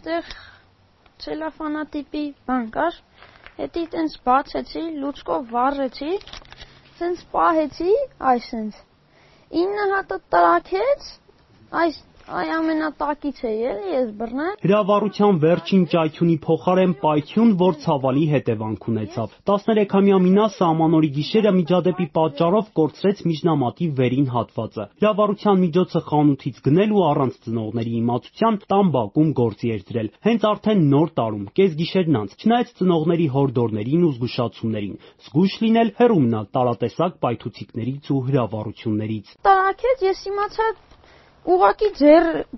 այդտեղ ցելոֆանատիպի բան կար, հետի տենց բացեցի, լուցկով վառեցի, տենց պահեցի, այսենց 9 հատը տրաքեց, այ ամենատակից է էլի ես բռնել։ Հրավառության վերջին ճայթյունի փոխարեն պայթյուն, որ ցավալի հետևանք ունեցավ։ 13-ամյա Մինասը ամանորի գիշերը միջադեպի պատճառով կորցրեց միջնամատի վերին հատվածը։ Հրավառության միջոցը խանութից գնել ու առանց ծնողների իմացության տան բակում գործի էր դրել։ Հենց արդեն նոր տարում, կեսգիշերն անց, չնայած ծնողների հորդորներին ու զգուշացումներին, զգույշ լինել հեռու մնալ տարատեսակ պայթուցիկներից ու հրավառություններից։ Տարակեց, ես իմացա ուղղակի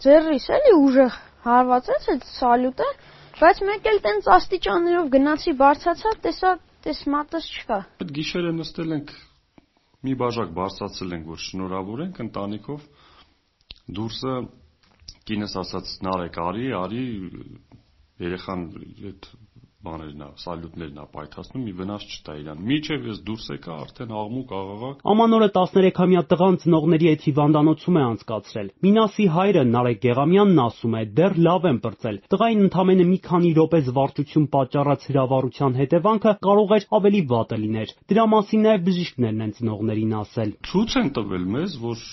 ձեռիս էլի ուժեղ հարվածեց այդ սալյուտը, բայց մեկ էլ տենց աստիճաններով գնացի բարձացա, տես մատս չկա։ Այդ գիշերը նստել ենք, մի բաժակ բարձրացել ենք, որ շնորհավորենք ընտանիքով, դուրսը կինս ասաց Նարեկ արի, երեխան այդ բաներն է, սալյուտներն է պայթացնում, մի վնաս չտա իրան։ Մինչև ես դուրս եկա, արդեն աղմուկ, աղաղակ։ Ամանորը 13-ամյա տղան ծնողների հետ հիվանդանոցում է անցկացրել։ Մինասի հայրը Նարեկ Գեղամյանն ասում է, դեռ լավ են պրծել։ Տղային ընդամենը մի քանի րոպե զվարճություն պատճառած հրավառության հետևանքը կարող էր ավելի վատը լիներ։ Դրա մասին նաև բժիշկներն են ծնողներին ասել։ Ցույց են տվել մեզ, որ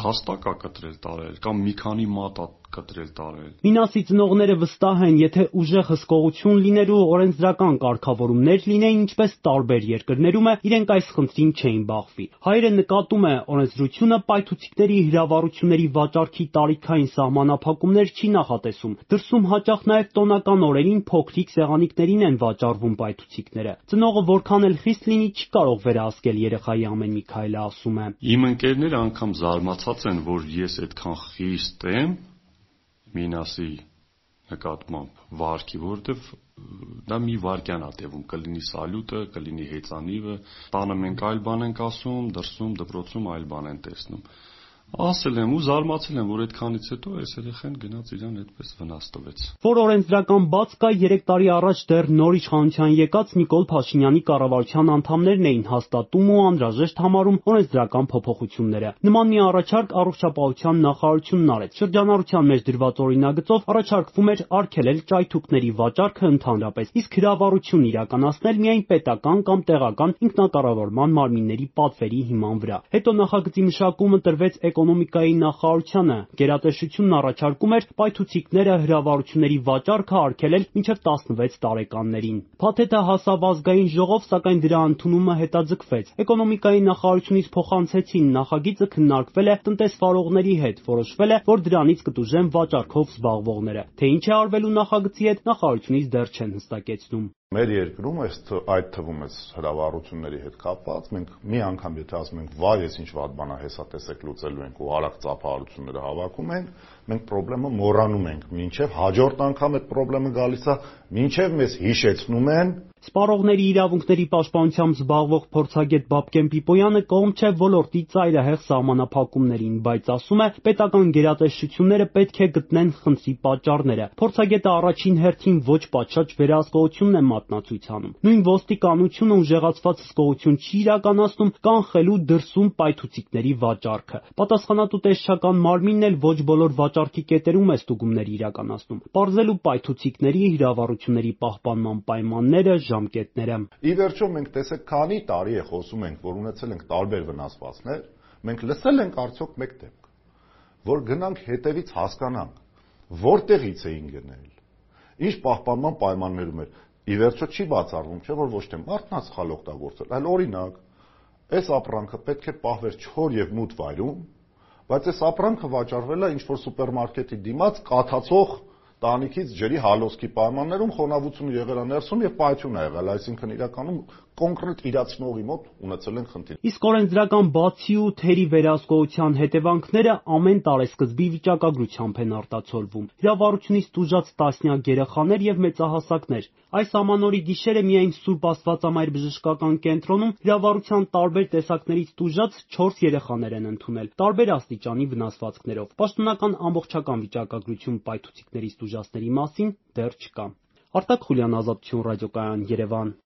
դաստակ է կտրել տարել կամ մի քանի մատ է կտրել տարել։ Մինասի ծնողները վստահ են, եթե ուժեղ հսկողություն լիներ ու օրենսդրական կարգավորումներ լինեին, ինչպես տարբեր երկրներում է, իրենք այս խնդրին չէին բախվի։ Հայրը նկատում է, օրենսդրությունը պայթուցիկների հրավառությունների վաճառքի տարիքային սահմանափակումներ չի նախատեսում։ Դրսում հաճախ նաև տոնական օրերին փոքրիկ սեղանիկներին են վաճառվում պայթուցիկները։ Ծնողը որքան էլ խիստ լինի, չի կարող վերահսկել երեխայի ամեն մի քայլը, ասում է։ Իմ ընկերները անգամ զարմացած են, որ ես այդքան խիստ եմ Մինասի նկատմամբ վարքի, որովհետև դա մի վայրկյան է տևում, կլինի սալյուտը, կլինի հեծանիվը, տանը մենք այլ բան ենք ասում, դրսում դպրոցում այլ բան են տեսնում։ Ասել եմ ու զարմացել եմ, որ այդքանից հետո այս երեխան գնաց իրան այդպես վնաս տվեց։ Որ օրենսդրական բաց կա, 3 տարի առաջ դեռ նոր իշխանության եկած Նիկոլ Փաշինյանի կառավարության անդամներն էին հաստատում ու անհրաժեշտ համարում օրենսդրական փոփոխությունները։ Նման մի առաջարկ առողջապահության նախարարությունն արեց։ Շրջանառության մեջ դրված օրինագծով առաջարկվում էր արգելել ճայթուկների վաճառքը ընդհանրապես, իսկ հրավառություն իրականացնել միայն պետական կամ տեղական ինքնակառավարման մարմինների պատվերի հիման վրա։ Հետո նախագծի մշակումը տրվեց Էկոնոմիկայի նախարարությանը, գերատեսչությունն առաջարկում էր պայթուցիկները հրավառությունների վաճառքը արգելել մինչև 16 տարեկաններին։ Փաթեթը հասավ ազգային ժողով, սակայն դրա ընդունումը հետաձգվեց։ Էկոնոմիկայի նախարարությունից փոխանցեցին, նախագիծը քննարկվել է տնտեսվարողների հետ, որոշվել է, որ դրանից կտուժեն վաճառքով զբաղվողները։ Թե ինչ է արվելու նախագծի հետ, նախարարությունից դեռ չեն հստակեցնում։ Մեր երկրում այդ թվում է հրավառությունների հետ կապված, մենք մի անգամ եթե ասում ենք վայ, ես ինչ վատ բան է, հեսա տեսեք լուծելու ենք ու արագ ծափահարությունները հավաքում ենք, մենք խնդրեմը մոռանում ենք, մինչև հաջորդ անգամ այդ խնդրեմը գալիս է, մինչև մեզ հիշեցնում են։ Սպառողների իրավունքների պաշտպանությամբ զբաղվող փորձագետ Բաբկեն Պիպոյանը կողմ չէ ոլորտի ծայրահեղ սահմանափակումներին, բայց ասում է, պետական գերատեսչությունները պետք է գտնեն խնդրի պատճառները։ Փորձագետը առաջին հերթին ոչ պատշաճ վերահսկողությունն է մատնացույց անում։ Նույն ոստիկանությունը ուժեղացված հսկողություն չի իրականացնում կանխելու դրսում պայթուցիկների վաճառքը։ Պատասխանատու տեսչական մարմինն էլ ոչ բոլոր վաճառքի կետերում է ստուգումներ իրականացնում։ Պարզելու պայթուցիկների հրավառությունների պահպանման պայմանները, ժամկետները։ Ի վերջո մենք տեսեք քանի տարի է խոսում ենք, որ ունեցել ենք տարբեր վնասվածքներ, մենք լսել ենք արդյոք մեկ դեպք, որ գնանք հետևից հասկանանք, որտեղից էին գնել, ինչ պահպանման պայմաններում էր։ Ի վերջո չի բացառվում, չէ՞ որ ոչ թե մարդն է սխալ օգտագործել, այլ օրինակ, այս ապրանքը պետք է պահվեր չոր եւ մութ վայրում, բայց այս ապրանքը վաճառվել է ինչ-որ սուպերմարկետի դիմաց կաթացող տանիքից ջրի հալոսքի պայմաններում, խոնավությունը եղել է ներսում եւ պայթյուն ա եղել, այսինքն իրականում կոնկրետ իրացնողի մոտ ունեցել են խնդիր։ Իսկ օրենսդրական բացի ու թերի վերահսկողության հետևանքները ամեն տարեսկզբի վիճակագրությամբ են արտացոլվում։ Հրավառությունից տուժած տասնյակ երեխաներ եւ մեծահասակներ։ Այս ամանորի գիշերը միայն Սուրբ Աստվածամայր բժշկական կենտրոնում հրավառության տարբեր տեսակներից տուժած 4 երեխաներ են ընդունել, տարբեր աստիճանի վնասվածքներով։ Պաշտոնական ամբողջական վիճակագրություն պայթուցիկներից տուժածների մասին դեռ չկա։ Արտակ Խուլյան, Ազատություն ռադիոկայան, Երևան։